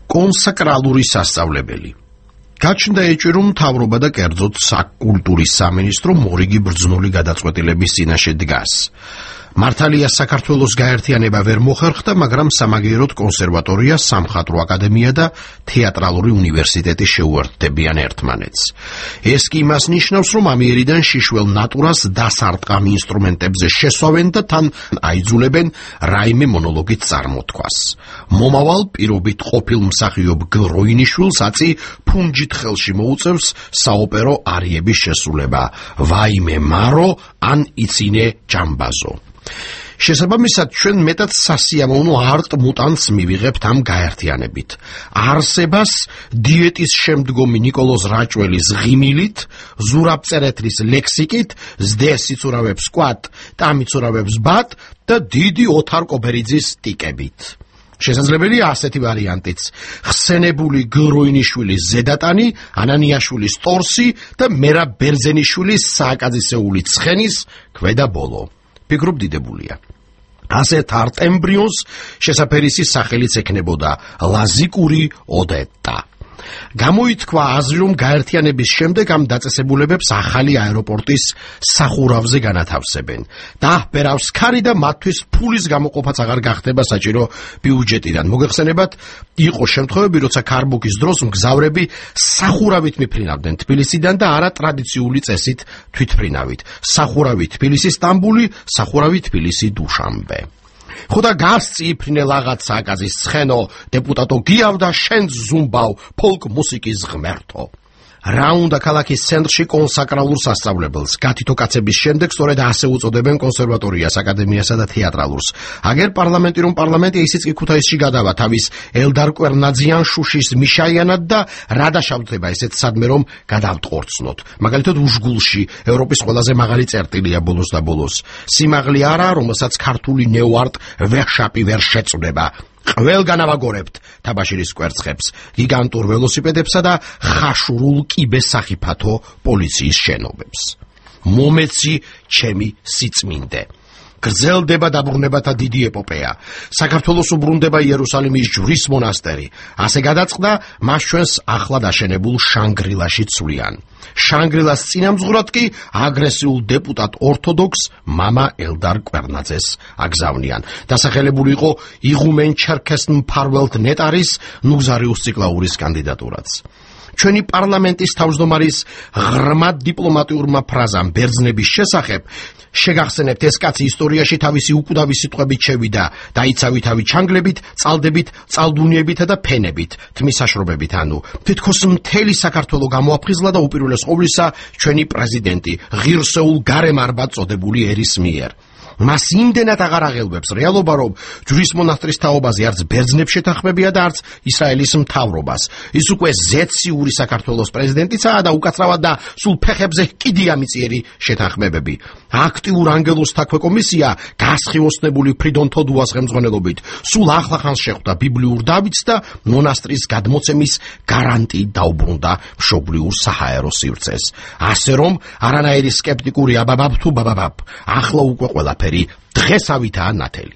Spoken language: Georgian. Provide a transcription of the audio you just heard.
კონსაკრალური სასწავლებელი. გაჩნდა ეჭვი, რომ მთავრობა და კერძოდ საკულტურის სამინისტრო მორიგი ბრძნული გადაწყვეტილების წინაშე დგას. მართალია საქართველოს გაერთიანება ვერ მოხერხდა, მაგრამ სამაგიეროდ კონსერვატორია, სამხატვრო აკადემია და თეატრალური უნივერსიტეტი შეუერთდებიან ერთმანეთს. ეს კი იმას ნიშნავს, რომ ამიერიდან შიშველ ნატურას დასარტყამ ინსტრუმენტებზე შესვავენ და თან აიძულებენ რაიმე მონოლოგით წარმოთქვას. მომავალ პირობით ყოფილ მსახიობ გროინიშვილს აწი ფუნჯით ხელში მოუწევს საოპერო არიების შესრულება ვაიმე მარო ან იცინე ჯამბაზო. შესაბამისად, ჩვენ მეტად სასიამოვნო არტ მუტანტს მივიღებთ ამ გაერთიანებით. არსებას დიეტის შემდგომი ნიკოლოზ რაჭველის ღიმილით, ზურაბ წერეთლის ლექსიკით, ზდეს იცურავებს კვატ, ტამიცურავებს ბატ და დიდი ოთარ კობერიძის ტიკებით. შესაძლებელია ასეთი ვარიანტიც: ხსენებული გროინიშვილის ზედატანი, ანანიაშვილის ტორსი და მერაბ ბერძენიშვილის სააკაძისეული ცხენის ქვედა ბოლო. ფიქრობ დიდებულია. ასეთ არტ ემბრიონს შესაფერისის სახელიც ექნებოდა ლაზიკური ოდეტა. გამოითქვა აზრი, რომ გაერთიანების შემდეგ ამ დაწესებულებებს ახალი აეროპორტის სახურავზე განათავსებენ. დაჰბერავს ქარი და მათთვის ფულის გამოყოფაც აღარ გახდება საჭირო ბიუჯეტიდან. მოგეხსენებათ, იყო შემთხვევები, როცა ქარბუქის დროს მგზავრები სახურავით მიფრინავდნენ თბილისიდან და არა ტრადიციული წესით თვითფრინავით. სახურავი თბილისი სტამბული, სახურავი თბილისი დუშანბე. ხოდა გასწი იფრინე ლაღაც სააკაზის ცხენო, დეპუტატო გიავდა შენც ზუმბავ ფოლკ მუსიკის ღმერთო. რა უნდა ქალაქის ცენტრში კონსაკრალურ სასწავლებელს, გათითო კაცების შემდეგ სწორედ ასე უწოდებენ კონსერვატორიას, აკადემიასა და თეატრალურს. აგერ პარლამენტი რომ პარლამენტია, ისიც კი ქუთაისში გადავა თავის ელდარ კვერნაძიან შუშის მიშაიანად და რა დაშავდება ესეთ სადმე რომ გადავტყორცნოთ. მაგალითად უშგულში ევროპის ყველაზე მაღალი წერტილია ბოლოს და ბოლოს. სიმაღლე არა, რომელსაც ქართული ნეოარტ ვერშაპი ვერ შეწვდება. ყველგან ავაგორებთ თაბაშირის კვერცხებს, გიგანტურ ველოსიპედებსა და ხაშურულ კიბესახიფათო პოლიციის შენობებს. მომეცი ჩემი სიწმინდე. გრძელდება დაბრუნებათა დიდი ეპოპეა. საქართველოს უბრუნდება იერუსალიმის ჯვრის მონასტერი. ასე გადაწყდა, მას ჩვენს ახლად აშენებულ შანგრილაში ცვლიან. შანგრილას წინამძღვრად კი აგრესიულ დეპუტატ ორთოდოქს მამა ელდარ კვერნაძეს აგზავნიან. დასახელებული იყო იღუმენ ჩერქეს მფარველთ ნეტარის ნუგზარიუს ციკლაურის კანდიდატურაც. ჩვენი პარლამენტის თავმჯდომარის ღრმად დიპლომატიურმა ფრაზამ ბერძნების შესახებ შეგახსენებთ, ეს კაცი ისტორიაში თავისი უკვდავი სიტყვებით შევიდა, დაიცავი თავი ჩანგლებით, წალდებით, წალდუნიებითა და ფენებით, თმისაშრობებით, ანუ თითქოს მთელი საქართველო გამოაფხიზლა და უპირველეს ყოვლისა ჩვენი პრეზიდენტი ღირსეულ გარემარბად წოდებული ერის მიერ. მას იმდენად აღარ აღელვებს რეალობა, რომ ჯვრის მონასტრის თაობაზე არც ბერძნებს შეთანხმებია და არც ისრაელის მთავრობას. ის უკვე ზეციური საქართველოს პრეზიდენტიცაა და უკაცრავად და სულ ფეხებზე კიდია მიწიერი შეთანხმებები. აქტიურ ანგელოზთა ქვეკომისია გასხივოსნებული ფრიდონ თოდუას ხელმძღვანელობით სულ ახლახანს შეხვდა ბიბლიურ დავიდს და მონასტრის გადმოცემის გარანტიით დაუბრუნდა მშობლიურ საჰაერო სივრცეს. ასე რომ არანაირი სკეპტიკური აბაბაბ თუ ბაბაბაბ, ახლა უკვე ყველაფერი დღესავითაა ნათელი.